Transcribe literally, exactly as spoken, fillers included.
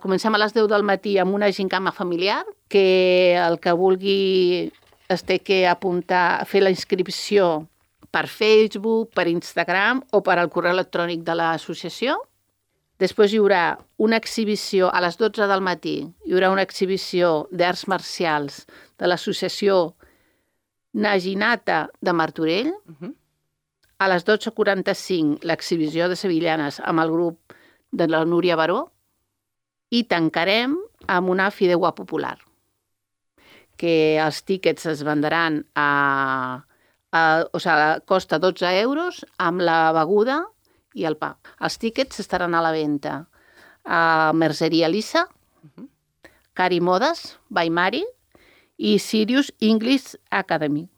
comencem a les deu del matí amb una gincama familiar, que el que vulgui es té que apuntar, fer la inscripció per Facebook, per Instagram o per al correu electrònic de l'associació. Després hi haurà una exhibició a les dotze del matí, hi haurà una exhibició d'arts marcials de l'associació Naginata de Martorell. Uh-huh. A les dotze quaranta-cinc l'exhibició de sevillanes amb el grup de la Núria Baró i tancarem amb una fideuà popular, que els tíquets es vendran a, a, o sigui, costa dotze euros amb la beguda i el pa. Els tíquets estaran a la venda a Merceria Lisa, uh-huh. Cari Modes, by Mari i Sirius English Academy.